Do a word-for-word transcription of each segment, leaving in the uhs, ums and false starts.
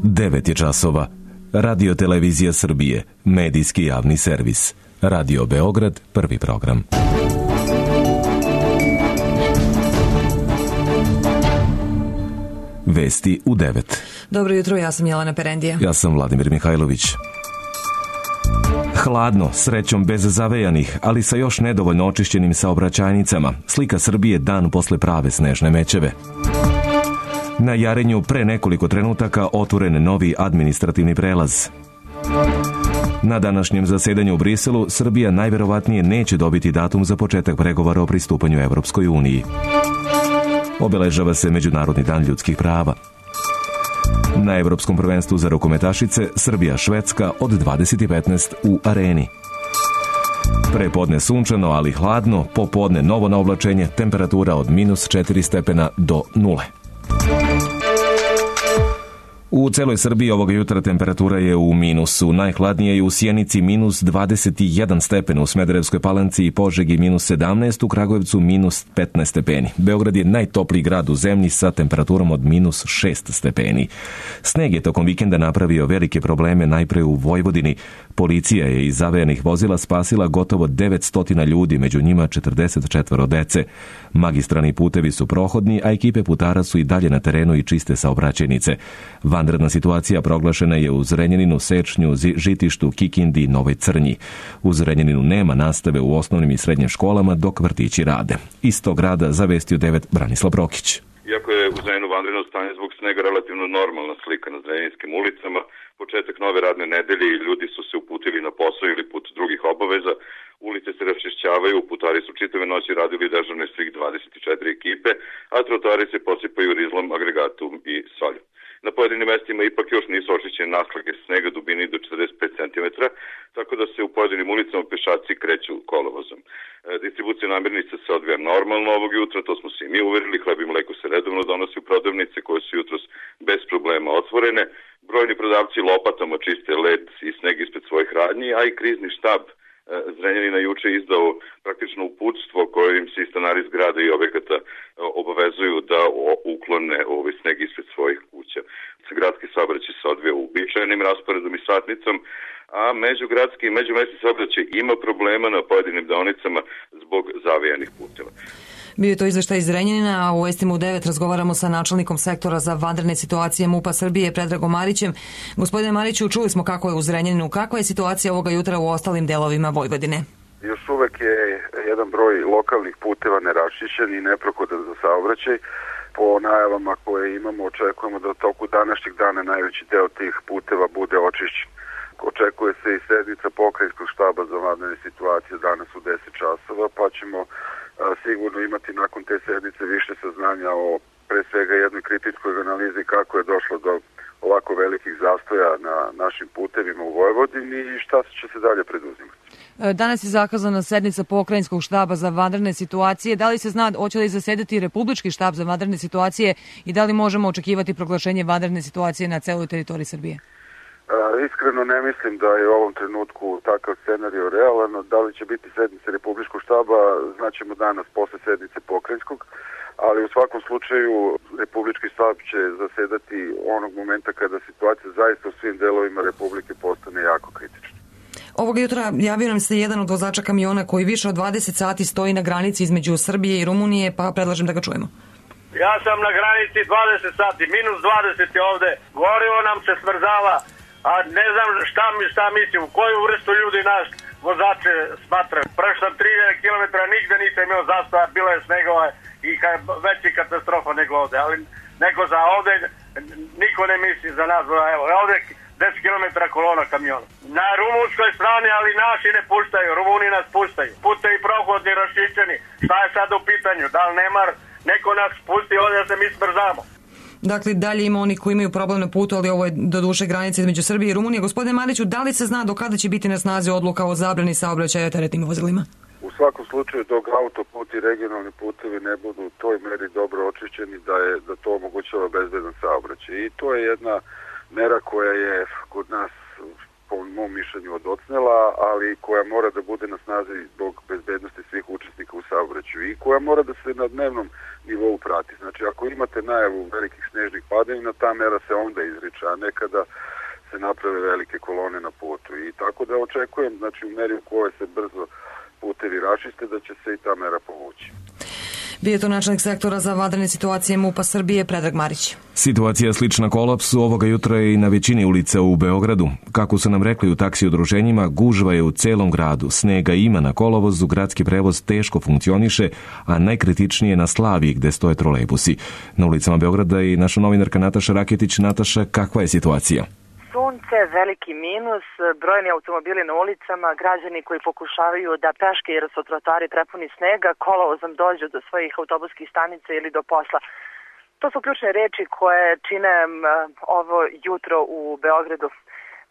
devet je časova. Radio Televizija Srbije, medijski javni servis. Radio Beograd, prvi program. Vesti u devet. Dobro jutro, ja sam Jelena Perendija. Ja sam Vladimir Mihajlović. Hladno, srećom bez zavejanih, ali sa još nedovoljno očišćenim saobraćajnicama. Slika Srbije dan posle prave snežne mećave. Na Jarenju pre nekoliko trenutaka otvoren novi administrativni prelaz. Na današnjem zasedanju u Briselu Srbija najverovatnije neće dobiti datum za početak pregovora o pristupanju Evropskoj uniji. Obeležava se Međunarodni dan ljudskih prava. Na Evropskom prvenstvu za rukometašice Srbija-Švedska od dvadeset petnaest u Areni. Prepodne sunčano, ali hladno, popodne novo na oblačenje, temperatura od minus četiri stepena do nule. U celoj Srbiji ovoga jutra temperatura je u minusu. Najhladnije je u Sjenici minus dvadeset jedan stepen, u Smederevskoj Palanci i Požegi minus sedamnaest, u Kragujevcu minus petnaest stepeni. Beograd je najtopliji grad u zemlji sa temperaturom od minus šest stepeni. Sneg je tokom vikenda napravio velike probleme najpre u Vojvodini. Policija je iz zavejanih vozila spasila gotovo devetsto ljudi, među njima četrdeset četvoro dece. Magistralni putevi su prohodni, a ekipe putara su i dalje na terenu i čiste saobraćajnice. Vanredna situacija proglašena je u Zrenjaninu, Sečnju, Žitištu, Kikindi i Novoj Crnji. U Zrenjaninu nema nastave u osnovnim i srednjim školama, dok vrtići rade. Iz tog grada zavestio devet Branislav Brokić. Iako je u Zrenjaninu vanredno stanje zbog snega relativno normalna slika na zrenjaninskim ulicama, početak nove radne nedelje i ljudi su se uputili na posao ili put drugih obaveza, ulice se raščišćavaju, putari su čitave noći radili dežurne svih dvadeset četiri ekipe, a trotari se posipaju rizlom, agregatom i soljom. Na pojedinim mestima ipak još nisu očišćene naslage snega dubini do četrdeset pet centimetara, tako da se u pojedinim ulicama pešaci kreću kolovozom. E, distribucija namirnica se odvija normalno ovog jutra, to smo se i mi uverili, hleb i mleko se redovno donosi u prodavnice koje su jutros bez problema otvorene. Brojni prodavci lopatama čiste led i sneg ispred svojih radnji, a i krizni štab Zrenjanina juče izdao praktično uputstvo kojim se i stanari zgrada i objekata obavezuju da uklone ovaj sneg ispred svojih kuća. Gradski saobraćaj se odvija uobičajenim rasporedom i satnicom, a međugradski i međumesni saobraćaj ima problema na pojedinim deonicama zbog zavijanih puteva. Bio je to izveštaj iz Zrenjanina, a u Vestima u devet razgovaramo sa načelnikom sektora za vanredne situacije MUP-a Srbije, Predragom Marićem. Gospodine Mariću, čuli smo kako je u Zrenjaninu. Kakva je situacija ovoga jutra u ostalim delovima Vojvodine? Još uvek je jedan broj lokalnih puteva neraščišćen i neprohodan za saobraćaj. Po najavama koje imamo, očekujemo da u toku današnjeg dana najveći deo tih puteva bude očišćen. Očekuje se i sednica pokrajinskog štaba za vanredne situacije danas u deset časova, pa ćemo sigurno imati nakon te sednice više saznanja o pre svega jednoj kritičkoj analizi kako je došlo do ovako velikih zastoja na našim putevima u Vojvodini i šta će se dalje preduzimati. Danas je zakazana sednica pokrajinskog štaba za vanredne situacije. Da li se zna hoće li zasedati Republički štab za vanredne situacije i da li možemo očekivati proglašenje vanredne situacije na celoj teritoriji Srbije? Uh, iskreno ne mislim da je u ovom trenutku takav scenario realan. Da li će biti sednice Republičkog štaba, znaćemo danas posle sednice pokrajinskog, ali u svakom slučaju Republički štab će zasedati onog momenta kada situacija zaista u svim delovima Republike postane jako kritična. Ovog jutra javio nam se jedan od vozača kamiona koji više od dvadeset sati stoji na granici između Srbije i Rumunije, pa predlažem da ga čujemo. Ja sam na granici dvadeset sati, minus dvadeset je ovde, gorivo nam se smrzava. A ne znam šta mi šta mislim, u koju vrstu ljudi naš vozače smatra. Prešao sam tri hiljade kilometara, nigde nisam imao zastoja, bilo je snegova i ka, veći katastrofa nego ovde. Ali neko za ovde, niko ne misli za nas. Evo, ovde deset kilometara kolona kamiona. Na rumunskoj strani, ali naši ne puštaju, Rumuni nas puštaju. Putevi prohodni, raščišćeni. Šta je sad u pitanju? Da li nemar neko nas pusti ovde da se mi smrzamo? Dakle, dalje ima oni koji imaju problem na putu, ali ovo je do duše granice između Srbije i Rumunije. Gospodine Mariću, da li se zna do kada će biti na snazi odluka o zabrani saobraćaja teretnim vozilima? U svakom slučaju, dok autoput i regionalni putevi ne budu u toj meri dobro očišćeni da, je, da to omogućava bezbedan saobraćaj. I to je jedna mera koja je kod nas po mom mišljenju odocnela, ali koja mora da bude na snazi zbog bezbednosti svih učesnika u saobraćaju i koja mora da se na dnevnom nivou prati. Znači, ako imate najavu velikih snežnih padavina, ta mera se onda izriče, a ne kada se naprave velike kolone na putu. I tako da očekujem, znači, u meri u kojoj se brzo putevi rašiste, da će se i ta mera povući. Bio je to načelnik sektora za vanredne situacije MUP-a Srbije, Predrag Marić. Situacija slična kolapsu ovoga jutra je i na većini ulica u Beogradu. Kako su nam rekli u taksi udruženjima, gužva je u celom gradu. Snega ima na kolovozu, gradski prevoz teško funkcioniše, a najkritičnije na Slaviji gde stoje trolejbusi. Na ulicama Beograda i naša novinarka Nataša Raketić. Nataša, kakva je situacija? Sunce, veliki minus, brojni automobili na ulicama, građani koji pokušavaju da peške jer su trotoari prepuni snega, kolovozom dođu do svojih autobuskih stanica ili do posla. To su ključne reči koje čine ovo jutro u Beogradu.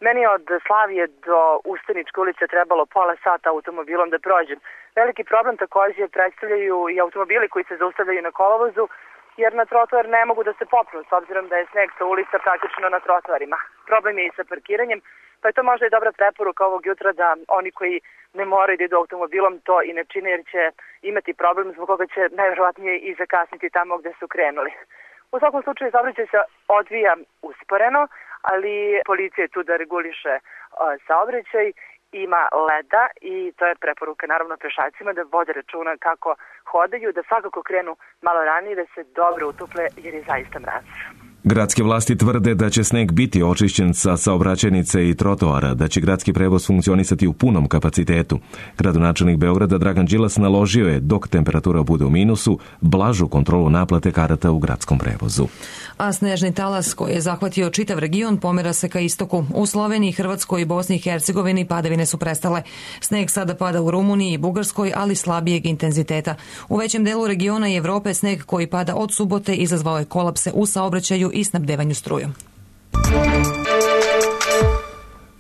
Meni od Slavije do Ustaničke ulice trebalo pola sata automobilom da prođem. Veliki problem takođe predstavljaju i automobili koji se zaustavljaju na kolovozu, jer na trotoar ne mogu da se popnu, s obzirom da je sneg sa ulica praktično na trotoarima. Problem je i sa parkiranjem, pa je to možda i dobra preporuka ovog jutra da oni koji ne moraju da idu automobilom to i ne čine, jer će imati problem zbog koga će najverovatnije i zakasniti tamo gde su krenuli. U svakom slučaju saobraćaj se odvija usporeno, ali policija je tu da reguliše saobraćaj, ima leda i to je preporuka naravno pešacima da vode računa kako hodaju, da svakako krenu malo ranije, da se dobro utople jer je zaista mraz. Gradske vlasti tvrde da će sneg biti očišćen sa saobraćajnice i trotoara, da će gradski prevoz funkcionisati u punom kapacitetu. Gradonačelnik Beograda Dragan Đilas naložio je, dok temperatura bude u minusu, blažu kontrolu naplate karata u gradskom prevozu. A snežni talas koji je zahvatio čitav region pomera se ka istoku. U Sloveniji, Hrvatskoj i Bosni i Hercegovini padavine su prestale. Sneg sada pada u Rumuniji i Bugarskoj, ali slabijeg intenziteta. U većem delu regiona i Evrope sneg koji pada od subote izazvao je kolapse u saobraćaju i snabdevanju strujom.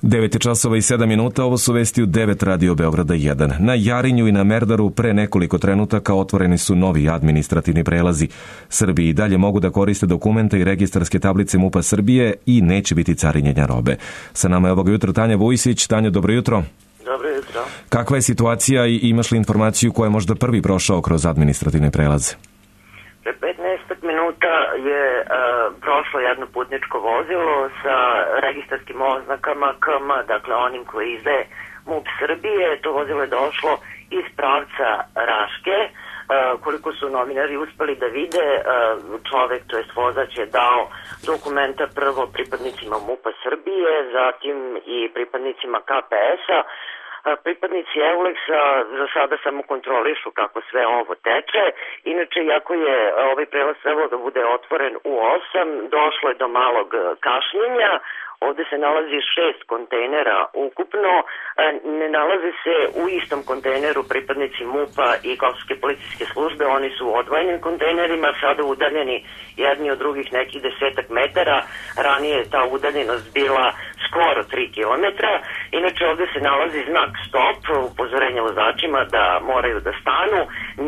devet časova i sedam minuta, ovo su vesti u devet Radio Beograda jedan. Na Jarinju i na Merdaru pre nekoliko trenutaka otvoreni su novi administrativni prelazi. Srbi i dalje mogu da koriste dokumente i registarske tablice MUP-a Srbije i neće biti carinjenja robe. Sa nama je ovog jutra Tanja Vujsić. Tanja, dobro jutro. Dobro jutro. Kakva je situacija i imaš li informaciju ko je možda prvi prošao kroz administrativne prelaze? Pre petnaest minuta je uh, prošlo jedno putničko vozilo sa registarskim oznakama K M, dakle onim koji izdaje MUP Srbije. To vozilo je došlo iz pravca Raške. Uh, koliko su novinari uspeli da vide, uh, čovek, to jest vozač, je dao dokumenta prvo pripadnicima MUP-a Srbije, zatim i pripadnicima K P S-a. Pripadnici Euleksa za sada samo kontrolišu kako sve ovo teče. Inače, iako je ovaj prelaz trebalo da bude otvoren u osam, došlo je do malog kašnjenja. Ovde se nalazi šest kontejnera ukupno, ne nalaze se u istom kontejneru pripadnici MUP-a i Kosovske policijske službe, oni su u odvojenim kontejnerima, sada udaljeni jedni od drugih nekih desetak metara, ranije je ta udaljenost bila skoro tri kilometra, inače ovde se nalazi znak stop, upozorenje vozačima da moraju da stanu,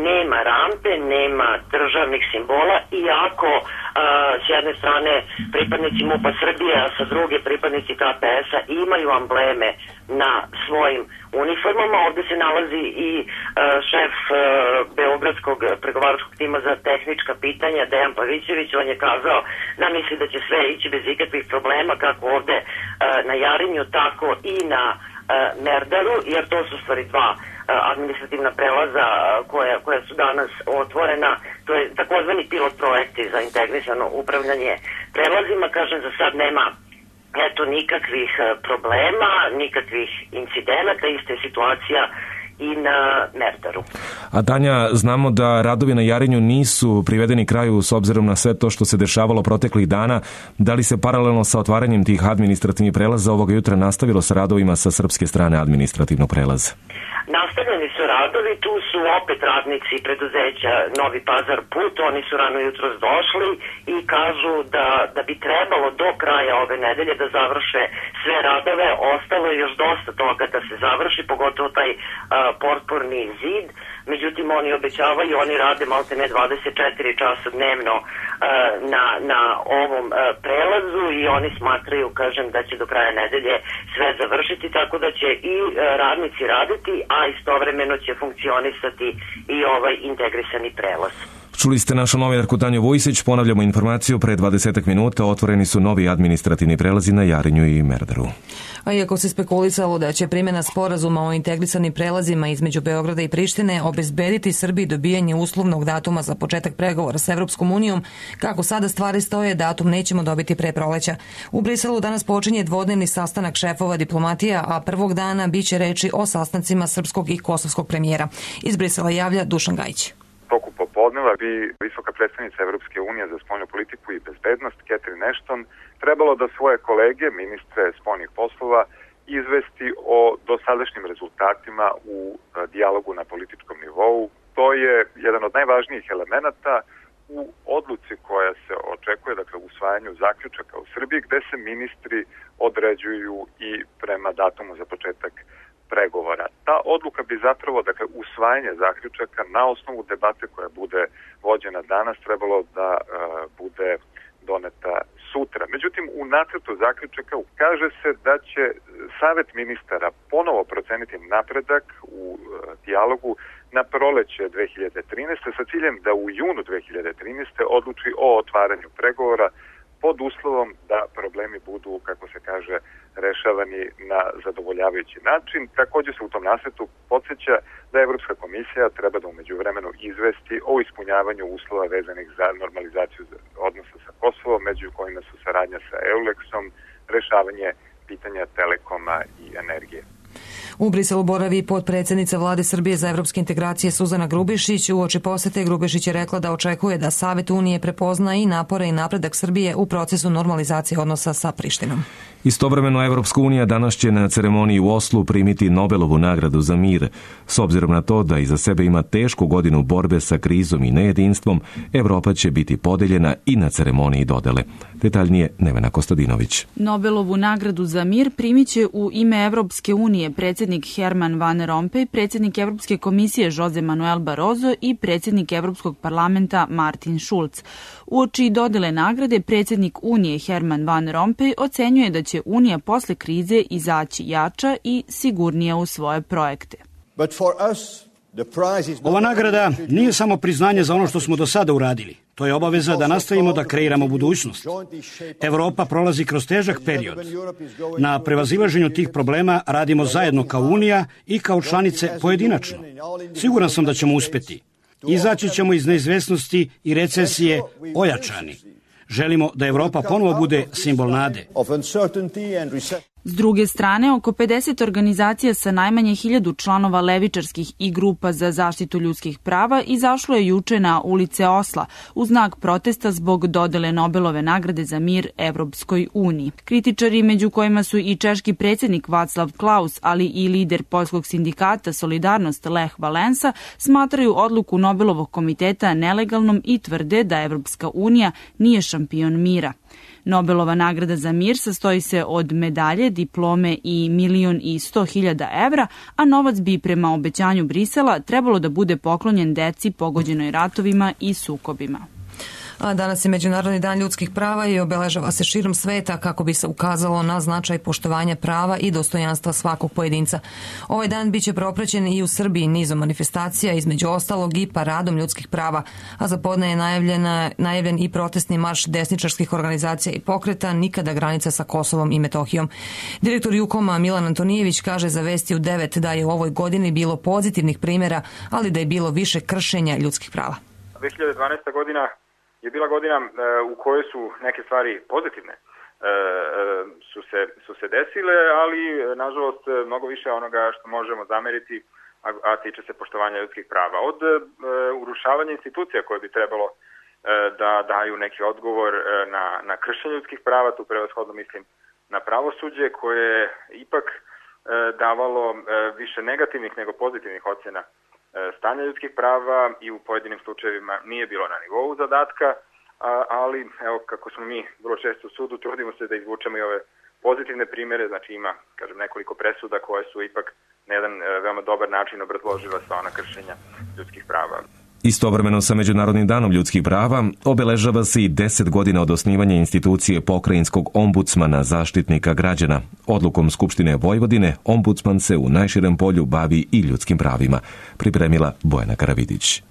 nema rampe, nema državnih simbola, iako s jedne strane pripadnici MUP-a Srbije, a sa druge pripadnici K P S-a imaju ambleme na svojim uniformama. Ovde se nalazi i uh, šef uh, Beogradskog pregovaračkog tima za tehnička pitanja, Dejan Pavićević. On je kazao da misli da će sve ići bez ikakvih problema, kako ovde uh, na Jarinju, tako i na uh, Merdaru, jer to su stvari dva uh, administrativna prelaza koja, koja su danas otvorena. To je takozvani pilot projekti za integrisano upravljanje prelazima. Kažem, za sad nema eto nikakvih problema, nikakvih incidenata, ista je situacija i na Merdaru. A Tanja, znamo da radovi na Jarinju nisu privedeni kraju s obzirom na sve to što se dešavalo proteklih dana. Da li se paralelno sa otvaranjem tih administrativnih prelaza ovoga jutra nastavilo sa radovima sa srpske strane administrativnog prelaza? Nastavljeni su radovi, tu su opet radnici preduzeća Novi Pazar Put, oni su rano jutros došli i kažu da, da bi trebalo do kraja ove nedelje da završe sve radove, ostalo je još dosta toga da se završi, pogotovo taj a, portporni zid. međutim oni obećavaju, oni rade maltene dvadeset četiri časa dnevno uh, na, na ovom uh, prelazu i oni smatraju, kažem, da će do kraja nedelje sve završiti, tako da će i uh, radnici raditi, a istovremeno će funkcionisati i ovaj integrisani prelaz. Čuli ste našu novinarku Tanju Vujsić, ponavljamo informaciju, pre dvadesetak minuta otvoreni su novi administrativni prelazi na Jarinju i Merdaru. A iako se spekulisalo da će primjena sporazuma o integrisanim prelazima između Beograda i Prištine obezbediti Srbiji dobijanje uslovnog datuma za početak pregovora s Evropskom unijom, kako sada stvari stoje, datum nećemo dobiti pre proleća. U Briselu danas počinje dvodnevni sastanak šefova diplomatija, a prvog dana biće reči o sastancima srpskog i kosovskog premijera. Iz Brisela javlja Dušan Gajić. Toku popodneva bi visoka predstavnica Evropske unije za spoljnu politiku i bezbednost, Catherine Ashton, trebalo da svoje kolege, ministre spoljnih poslova, izvesti o dosadašnjim rezultatima u dijalogu na političkom nivou. To je jedan od najvažnijih elemenata u odluci koja se očekuje, dakle u usvajanju zaključaka u Srbiji, gde se ministri određuju i prema datumu za početak pregovora. Ta odluka bi zapravo, dakle, usvajanje zaključaka na osnovu debate koja bude vođena danas trebalo da uh, bude doneta sutra. Međutim, u nacrtu zaključaka kaže se da će Savet ministara ponovo proceniti napredak u uh, dijalogu na proleće dve hiljade trinaeste sa ciljem da u junu dve hiljade trinaeste odluči o otvaranju pregovora pod uslovom da problemi budu, kako se kaže, rešavani na zadovoljavajući način. Također se u tom nasvetu podsjeća da Evropska komisija treba da umeđu vremenu izvesti o ispunjavanju uslova vezanih za normalizaciju odnosa sa Kosovom, među kojima su saradnja sa Euleksom, rešavanje pitanja telekoma i energije. U Briselu boravi potpredsednica Vlade Srbije za evropske integracije Suzana Grubišić. Uoči posete Grubišić je rekla da očekuje da Savet Unije prepozna i napore i napredak Srbije u procesu normalizacije odnosa sa Prištinom. Istovremeno, Evropska unija danas će na ceremoniji u Oslu primiti Nobelovu nagradu za mir. S obzirom na to da iza sebe ima tešku godinu borbe sa krizom i nejedinstvom, Evropa će biti podeljena i na ceremoniji dodele. Detaljnije Nevena Kostadinović. Nobelovu nagradu za mir primiće u ime Evropske unije predsjednik Herman Van Rompuy, predsjednik Evropske komisije Jose Manuel Barroso i predsjednik Evropskog parlamenta Martin Schulz. Uoči dodele nagrade, predsjednik Unije Herman Van Rompuy ocenjuje da će Unija posle krize izaći jača i sigurnija u svoje projekte. Ova nagrada nije samo priznanje za ono što smo do sada uradili. To je obaveza da nastavimo da kreiramo budućnost. Evropa prolazi kroz težak period. Na prevazilaženju tih problema radimo zajedno kao Unija i kao članice pojedinačno. Siguran sam da ćemo uspeti. Izaći ćemo iz neizvesnosti i recesije ojačani. Želimo da Evropa ponovo bude simbol nade. S druge strane, oko pedeset organizacija sa najmanje hiljadu članova levičarskih i grupa za zaštitu ljudskih prava izašlo je juče na ulice Osla u znak protesta zbog dodele Nobelove nagrade za mir Evropskoj uniji. Kritičari, među kojima su i češki predsjednik Václav Klaus, ali i lider poljskog sindikata Solidarnost Lech Valensa, smatraju odluku Nobelovog komiteta nelegalnom i tvrde da Evropska unija nije šampion mira. Nobelova nagrada za mir sastoji se od medalje, diplome i milion i sto hiljada evra, a novac bi prema obećanju Brisela trebalo da bude poklonjen deci pogođenoj ratovima i sukobima. A danas je Međunarodni dan ljudskih prava i obeležava se širom sveta kako bi se ukazalo na značaj poštovanja prava i dostojanstva svakog pojedinca. Ovaj dan biće propraćen i u Srbiji nizom manifestacija, između ostalog i paradom ljudskih prava, a za podne je najavljena, najavljen i protestni marš desničarskih organizacija i pokreta Nikada granica sa Kosovom i Metohijom. Direktor Jukoma Milan Antonijević kaže za Vesti u devet da je u ovoj godini bilo pozitivnih primjera, ali da je bilo više kršenja ljudskih prava. dve hiljade dvanaesta. godina je bila godina e, u kojoj su neke stvari pozitivne e, su, se, su se desile, ali nažalost mnogo više onoga što možemo zameriti, a, a tiče se poštovanja ljudskih prava. Od e, urušavanja institucija koje bi trebalo e, da daju neki odgovor e, na, na kršenje ljudskih prava, tu prevashodno mislim na pravosuđe koje je ipak e, davalo e, više negativnih nego pozitivnih ocjena stanja ljudskih prava i u pojedinim slučajevima nije bilo na nivou zadatka, ali evo kako smo mi vrlo često u sudu, trudimo se da izvučemo i ove pozitivne primjere, znači ima, kažem, nekoliko presuda koje su ipak na jedan veoma dobar način obrazložila sva ona kršenja ljudskih prava. Istovremeno sa Međunarodnim danom ljudskih prava obeležava se i deset godina od osnivanja institucije pokrajinskog ombudsmana zaštitnika građana. Odlukom Skupštine Vojvodine ombudsman se u najširem polju bavi i ljudskim pravima, pripremila Bojana Karavidić.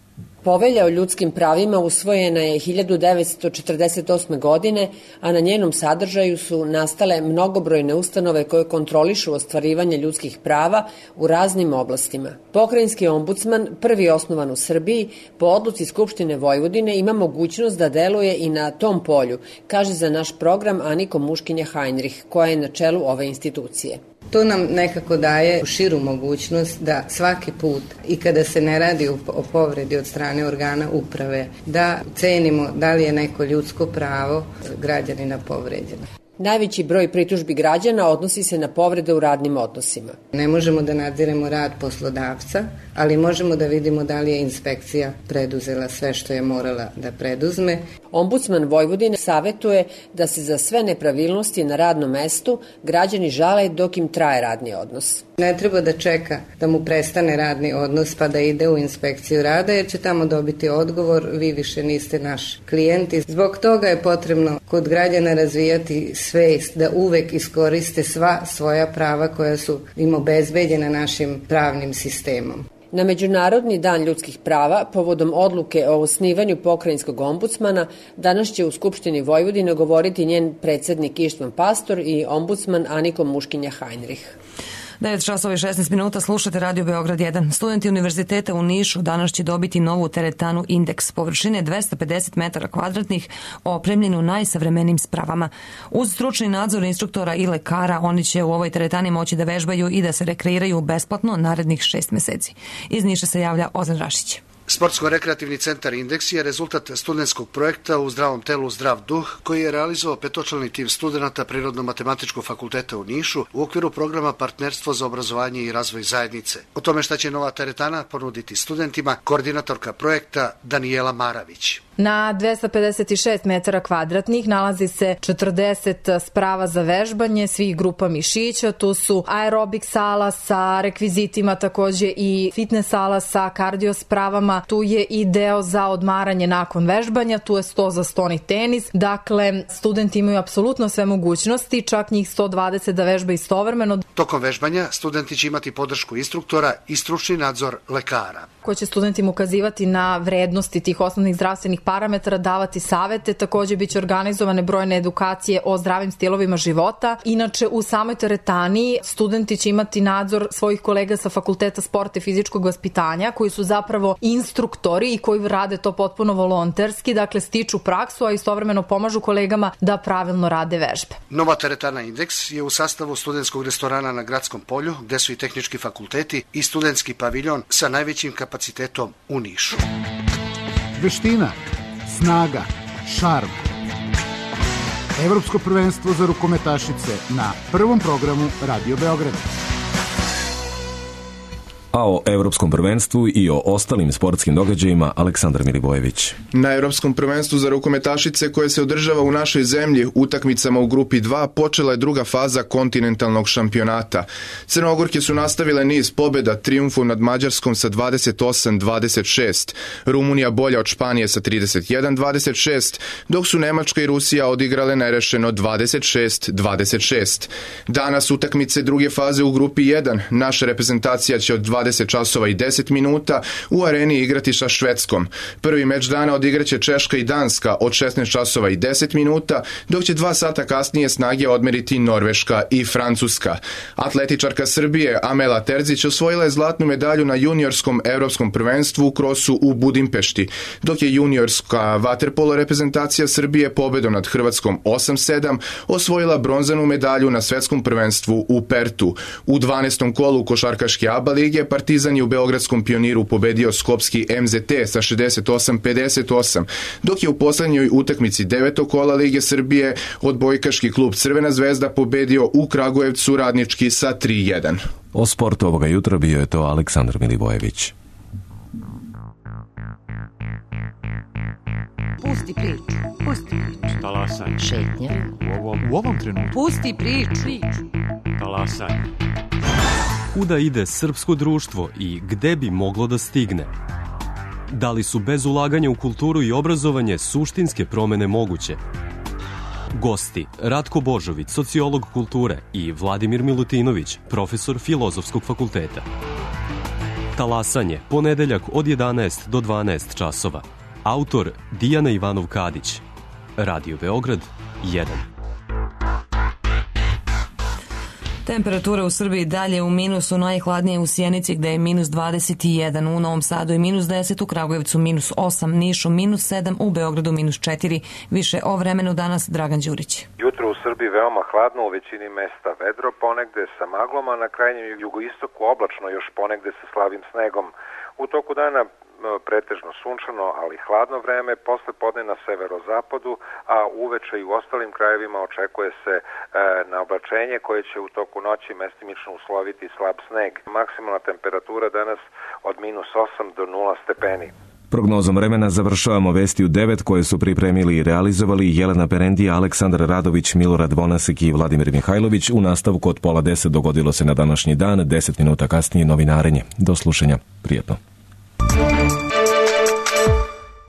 Povelja o ljudskim pravima usvojena je hiljadu devetsto četrdeset osme. godine, a na njenom sadržaju su nastale mnogobrojne ustanove koje kontrolišu ostvarivanje ljudskih prava u raznim oblastima. Pokrajinski ombudsman, prvi osnovan u Srbiji, po odluci Skupštine Vojvodine ima mogućnost da deluje i na tom polju, kaže za naš program Aniko Muškinja-Heinrich, koja je na čelu ove institucije. To nam nekako daje širu mogućnost da svaki put i kada se ne radi o povredi od strane organa uprave, da cenimo da li je neko ljudsko pravo građanina povređeno. Najveći broj pritužbi građana odnosi se na povrede u radnim odnosima. Ne možemo da nadziremo rad poslodavca, ali možemo da vidimo da li je inspekcija preduzela sve što je morala da preduzme. Ombudsman Vojvodine savetuje da se za sve nepravilnosti na radnom mestu građani žale dok im traje radni odnos. Ne treba da čeka da mu prestane radni odnos pa da ide u inspekciju rada, jer će tamo dobiti odgovor: vi više niste naš klijent. Zbog toga je potrebno kod građana razvijati svest da uvek iskoriste sva svoja prava koja su im obezbeđena našim pravnim sistemom. Na Međunarodni dan ljudskih prava, povodom odluke o osnivanju pokrajinskog ombudsmana, danas će u Skupštini Vojvodine govoriti njen predsednik Ištvan Pastor i ombudsman Aniko Muškinja-Heinrich. devet časova i šesnaest minuta, slušate Radio Beograd jedan. Studenti Univerziteta u Nišu danas će dobiti novu teretanu Indeks, površine dvesta pedeset metara kvadratnih, opremljenu najsavremenijim spravama. Uz stručni nadzor instruktora i lekara, oni će u ovoj teretani moći da vežbaju i da se rekreiraju besplatno narednih šest meseci. Iz Niša se javlja Ozan Rašić. Sportsko-rekreativni centar Indeks je rezultat studentskog projekta U zdravom telu zdrav duh, koji je realizovao petočlani tim studenta Prirodno-matematičkog fakulteta u Nišu u okviru programa Partnerstvo za obrazovanje i razvoj zajednice. O tome šta će nova teretana ponuditi studentima, koordinatorka projekta Danijela Maravić. Na dvesta pedeset šest metara kvadratnih nalazi se četrdeset sprava za vežbanje svih grupa mišića. Tu su aerobik sala sa rekvizitima, takođe i fitness sala sa kardio spravama. Tu je i deo za odmaranje nakon vežbanja, tu je sto za stoni tenis. Dakle, studenti imaju apsolutno sve mogućnosti, čak njih sto dvadeset da vežba istovremeno. Tokom vežbanja studenti će imati podršku instruktora i stručni nadzor lekara, koji će studentima ukazivati na vrednosti tih osnovnih zdravstvenih parametara, davati savete. Takođe biće organizovane brojne edukacije o zdravim stilovima života. Inače, u samoj teretani studenti će imati nadzor svojih kolega sa Fakulteta sporta i fizičkog vaspitanja, koji su zapravo instruktori i koji rade to potpuno volonterski, dakle stiču praksu, a istovremeno pomažu kolegama da pravilno rade vežbe. Nova teretana Indeks je u sastavu studentskog restorana na Gradskom polju, gde su i tehnički fakulteti i studentski paviljon sa najvećim kapacitetom u Nišu. Veština, snaga, šarm. Evropsko prvenstvo za rukometašice na prvom programu Radio Beograd. A o Evropskom prvenstvu i o ostalim sportskim događajima Aleksandar Milivojević. Na Evropskom prvenstvu za rukometašice koje se održava u našoj zemlji utakmicama u grupi dva počela je druga faza kontinentalnog šampionata. Crnogorke su nastavile niz pobjeda trijumfom nad Mađarskom sa dvadeset osam dvadeset šest. Rumunija bolja od Španije sa trideset jedan dvadeset šest, dok su Nemačka i Rusija odigrale nerešeno dvadeset šest dvadeset šest. Danas utakmice druge faze u grupi jedan. Naša reprezentacija će od dvadeset časova i deset minuta u areni igrati sa Švedskom. Prvi meč dana odigraće Češka i Danska od šesnaest časova i deset minuta, dok će dva sata kasnije snage odmeriti Norveška i Francuska. Atletičarka Srbije Amela Terzić osvojila je zlatnu medalju na juniorskom evropskom prvenstvu u krosu u Budimpešti, dok je juniorska vaterpolo reprezentacija Srbije pobedom nad Hrvatskom osam sedam osvojila bronzanu medalju na svetskom prvenstvu u Pertu. U dvanaestom kolu košarkaške ABA lige Partizan je u beogradskom Pioniru pobedio skopski M Z T sa šezdeset osam pedeset osam, dok je u poslednjoj utakmici devetog kola Lige Srbije odbojkaški klub Crvena zvezda pobedio u Kragujevcu Radnički sa tri jedan. O sportu ovoga jutra bio je to Aleksandar Milivojević. Pusti priču, pusti priču. Talasaj. Šetnja. U ovom, u ovom trenutku. Pusti priču. Talasaj. Kuda ide srpsko društvo i gde bi moglo da stigne? Da li su bez ulaganja u kulturu i obrazovanje suštinske promene moguće? Gosti Ratko Božović, sociolog kulture, i Vladimir Milutinović, profesor Filozofskog fakulteta. Talasanje, ponedeljak od jedanaest do dvanaest časova. Autor Dijana Ivanov-Kadić. Radio Beograd jedan. Temperatura u Srbiji dalje u minusu, najhladnije u Sjenici gde je minus dvadeset jedan, u Novom Sadu je minus deset, u Kragujevcu minus osam, Nišu minus sedam, u Beogradu minus četiri. Više o vremenu danas Dragan Đurić. Jutro u Srbiji veoma hladno, u većini mesta vedro, ponegde sa maglom, a na krajnjem jugoistoku oblačno, još ponegde sa slabim snegom. U toku dana pretežno sunčano, ali hladno vreme, posle podne na severozapadu, a uveče i u ostalim krajevima očekuje se e, naoblačenje koje će u toku noći mestimično usloviti slab sneg. Maksimalna temperatura danas od minus osam do nula stepeni. Prognozom vremena završavamo vesti u devet koje su pripremili i realizovali Jelena Perendija, Aleksandar Radović, Milorad Vonasek i Vladimir Mihajlović. U nastavku od pola deset dogodilo se na današnji dan, deset minuta kasnije novinarenje. Do slušanja. Prijetno.